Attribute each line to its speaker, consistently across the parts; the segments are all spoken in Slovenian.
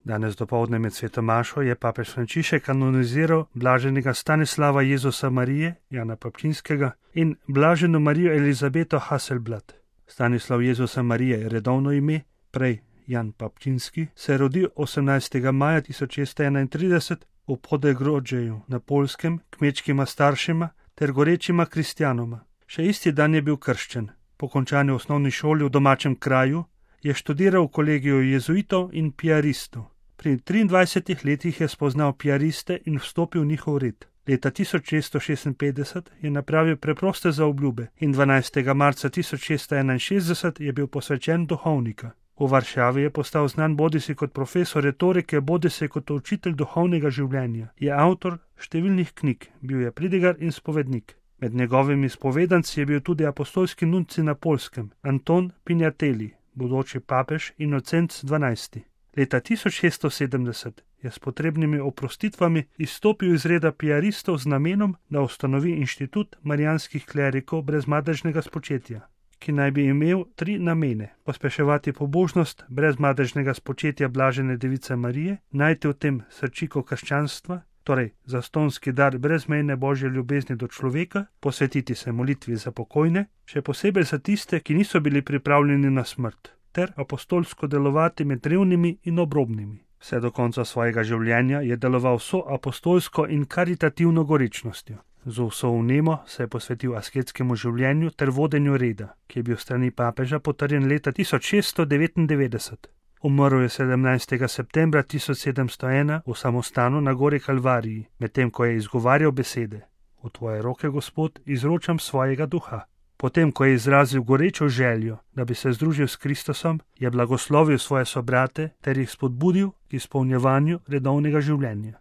Speaker 1: Danes dopoldne med sveto mašo je papež Frančišek kanoniziral blaženega Stanislava Jezusa Marije, Jana Papčinskega, in blaženo Marijo Elizabeto Hasselblad. Stanislav Jezusa Marije je redovno ime, prej Jan Papčinski, se je rodil 18. maja 1631 v Podegrodžeju na Poljskem, kmečkima staršema ter gorečima kristjanoma. Še isti dan je bil krščen. Po končani osnovni šoli v domačem kraju je študiral v kolegiju jezuitov in piaristov. Pri 23 letih je spoznal piariste in vstopil v njihov red. Leta 1656 je napravil preproste zaobljube in 12. marca 1661 je bil posvečen duhovnika. V Varšavi je postal znan bodisi kot profesor retorike, bodisi kot učitelj duhovnega življenja. Je avtor številnih knjig, bil je pridigar in spovednik. Med njegovimi spovedanci je bil tudi apostolski nunci na Poljskem, Anton Pinjateli, bodoči papež Inocenc XII. Leta 1670 je s potrebnimi oprostitvami izstopil iz reda piaristov z namenom, da ustanovi inštitut marijanskih klerikov brez madežnega spočetja, ki naj bi imel 3 namene: pospeševati pobožnost brez madežnega spočetja blažene device Marije, najti v tem srčiko krščanstva, torej zastonski dar brezmejne božje ljubezni do človeka, posvetiti se molitvi za pokojne, še posebej za tiste, ki niso bili pripravljeni na smrt, ter apostolsko delovati med revnimi in obrobnimi. Vse do konca svojega življenja je deloval vso apostolsko in karitativno gorečnostjo. Z vso vnemo se je posvetil asketskemu življenju ter vodenju reda, ki je bil strani papeža potrjen leta 1699. Umrl je 17. septembra 1701 v samostanu na gori Kalvariji, medtem ko je izgovarjal besede: V tvoje roke, Gospod, izročam svojega duha. Potem, ko je izrazil gorečo željo, da bi se združil s Kristusom, je blagoslovil svoje sobrate ter jih spodbudil k izpolnjevanju redovnega življenja.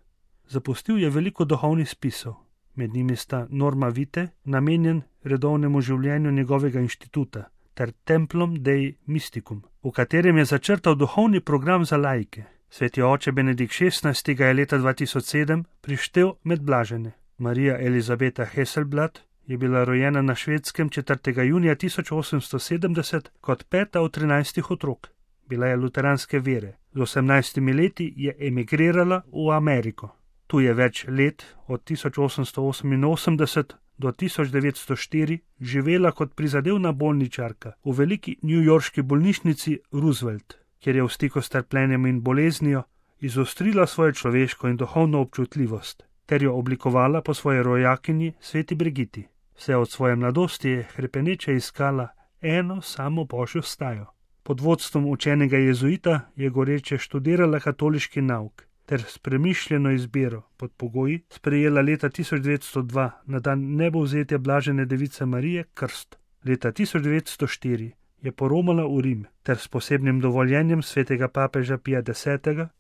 Speaker 1: Zapustil je veliko duhovnih spisov, med njimi sta Norma Vitae, namenjen redovnemu življenju njegovega inštituta, ter Templum Dei Mysticum, v katerem je začrtal duhovni program za laike. Sveti oče Benedikt XVI. Ga je leta 2007 prištel med blažene. Marija Elizabeta Hasselblad je bila rojena na Švedskem 4. junija 1870 kot 5. od 13 otrok. Bila je luteranske vere. Z 18 leti je emigrirala v Ameriko. Tu je več let, od 1888 do 1904, živela kot prizadevna bolničarka v veliki newyorški bolnišnici Roosevelt, kjer je v stiku s trpljenjem in boleznijo izostrila svojo človeško in duhovno občutljivost, ter jo oblikovala po svoji rojakinji sveti Brigiti. Vse od svoje mladosti je hrepeneče iskala eno samo božjo stajo. Pod vodstvom učenega jezuita je goreče študirala katoliški nauk ter s premišljeno izbiro pod pogoji sprejela leta 1902 na dan nebovzetja blažene device Marije krst. Leta 1904 je poromala v Rim ter s posebnim dovoljenjem svetega papeža Pija X.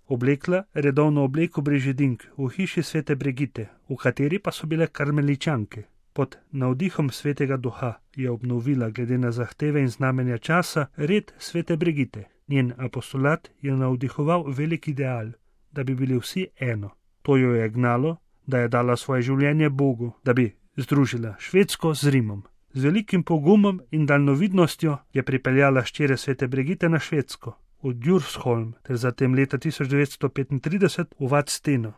Speaker 1: oblekla redovno obleko brežidink v hiši svete Brigite, v kateri pa so bile karmeličanke. Pod navdihom svetega duha je obnovila glede na zahteve in znamenja časa red svete Brigite. Njen apostolat je navdihoval velik ideal, da bi bili vsi eno. To jo je gnalo, da je dala svoje življenje Bogu, da bi združila Švedsko z Rimom. Z velikim pogumom in daljnovidnostjo je pripeljala hčere svete Brigite na Švedsko, v Djursholm, ter zatem leta 1935 v Vadsteno.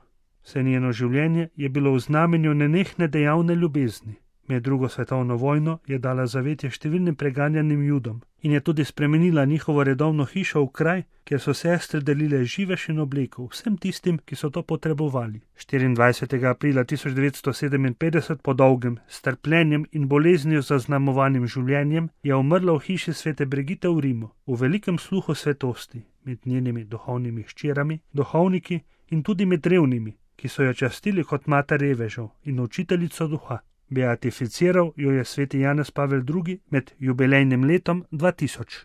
Speaker 1: Vse njeno življenje je bilo v znamenju nenehne dejavne ljubezni. Med drugo svetovno vojno je dala zavetje številnim preganjanim Judom in je tudi spremenila njihovo redovno hišo v kraj, kjer so sestre delile živež in obleko vsem tistim, ki so to potrebovali. 24. aprila 1957 po dolgem, s trpljenjem in boleznijo zaznamovanim življenjem je umrla v hiši svete Brigite v Rimu, v velikem sluhu svetosti, med njenimi duhovnimi hčerami, duhovniki in tudi med revnimi, ki so jo častili kot mater revežev in učiteljico duha. Beatificiral jo je sveti Janez Pavel II med jubilejnim letom 2000.